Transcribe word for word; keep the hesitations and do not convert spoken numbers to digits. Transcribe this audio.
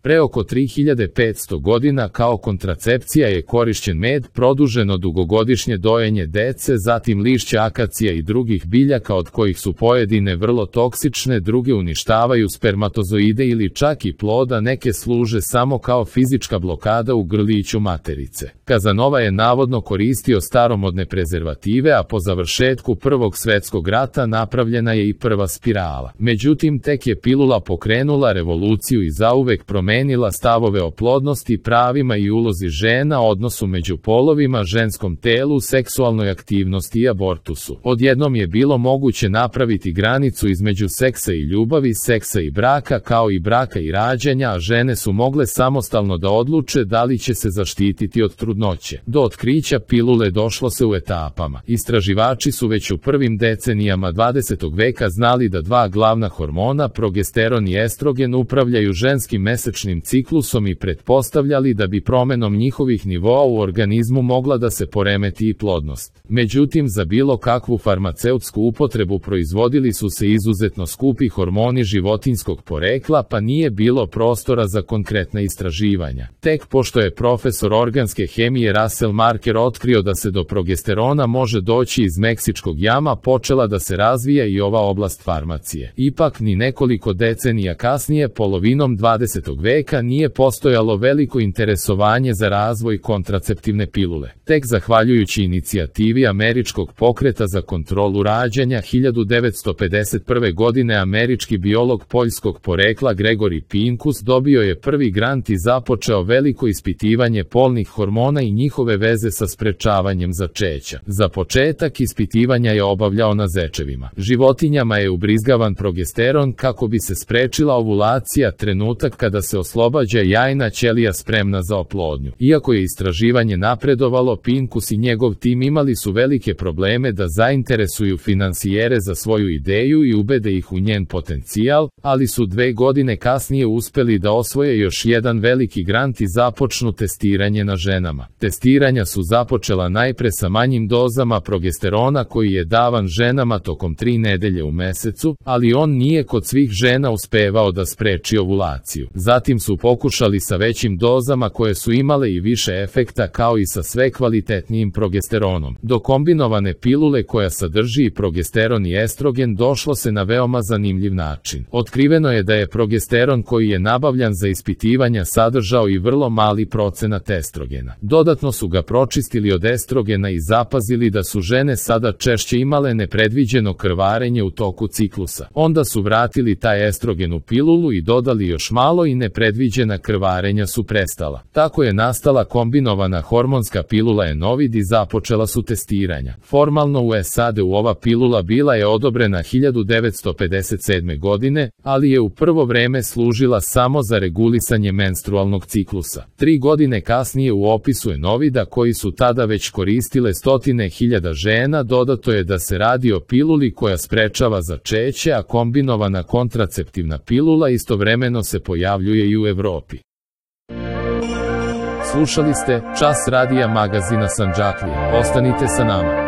Pre oko tri hiljade petsto godina kao kontracepcija je korišćen med, produženo dugogodišnje dojenje dece, zatim lišća akacija i drugih biljaka od kojih su pojedine vrlo toksične, druge uništavaju spermatozoide ili čak i ploda, neke služe samo kao fizička blokada u grliću materice. Kazanova je navodno koristio staromodne prezervative, a po završetku Prvog svetskog rata napravljena je i prva spirala. Međutim, tek je pilula pokrenula revoluciju i zauvek promenila stavove o plodnosti, pravima i ulozi žena, odnosu među polovima, ženskom telu, seksualnoj aktivnosti i abortusu. Odjednom je bilo moguće napraviti granicu između seksa i ljubavi, seksa i braka, kao i braka i rađanja, a žene su mogle samostalno da odluče da li će se zaštititi od trudnoće. Do otkrića pilule došlo se u etapama. Istraživači su već u prvim decenijama dvadesetog veka znali da dva glavna hormona, progesteron i estrogen, upravljaju ženskim mesečnim ciklusom i pretpostavljali da bi promenom njihovih nivoa u organizmu mogla da se poremeti i plodnost. Međutim, za bilo kakvu farmaceutsku upotrebu proizvodili su se izuzetno skupi hormoni životinjskog porekla, pa nije bilo prostora za konkretna istraživanja. Tek pošto je profesor organske hemije Russell Marker otkrio da se do progesterona može doći iz meksičkog jama, počela da se razvija i ova oblast farmacije. Ipak, ni nekoliko decenija kasnije, polovinom dvadesetog veka, nije postojalo veliko interesovanje za razvoj kontraceptivne pilule. Tek zahvaljujući inicijativi američkog pokreta za kontrolu rađanja hiljadu devetsto pedeset prve. godine američki biolog poljskog porekla Gregory Pincus dobio je prvi grant i započeo veliko ispitivanje polnih hormona i njihove veze sa sprečavanjem začeća. Za početak ispitivanja je obavljao na zečevima. Životinjama je ubrizgavan progesteron kako bi se sprečila ovulacija, trenutak kada se oslobađa jajna ćelija spremna za oplodnju. Iako je istraživanje napredovalo, Pincus i njegov tim imali su velike probleme da zainteresuju finansijere za svoju ideju i ubede ih u njen potencijal, ali su dve godine kasnije uspeli da osvoje još jedan veliki grant i započnu testiranje na ženama. Testiranja su započela najpre sa manjim dozama progesterona koji je davan ženama tokom tri nedelje u mesecu, ali on nije kod svih žena uspevao da spreči ovulaciju. Zatim su pokušali sa većim dozama koje su imale i više efekta, kao i sa sve kvalitetnijim progesteronom. Do kombinovane pilule koja sadrži i progesteron i estrogen došlo se na veoma zanimljiv način. Otkriveno je da je progesteron koji je nabavljan za ispitivanja sadržao i vrlo mali procenat estrogena. Dodatno su ga pročistili od estrogena i zapazili da su žene sada češće imale nepredviđeno krvarenje u toku ciklusa. Onda su vratili taj estrogen u pilulu i dodali još malo i nepredviđena krvarenja su prestala. Tako je nastala kombinovana hormonska pilula Enovid i započela su testiranja. Formalno u S A D-u ova pilula bila je odobrena hiljadu devetsto pedeset sedme. godine, ali je u prvo vreme služila samo za regulisanje menstrualnog ciklusa. Tri godine kasnije u opisu Enovida, koji su tada već koristile stotine hiljada žena, dodato je da se radi o piluli koja sprečava začeće, a kombinovana kontraceptivna pilula istovremeno se pojavljuje i u Evropi. Slušali ste Čas radija magazina Sandžaklija. Ostanite sa nama.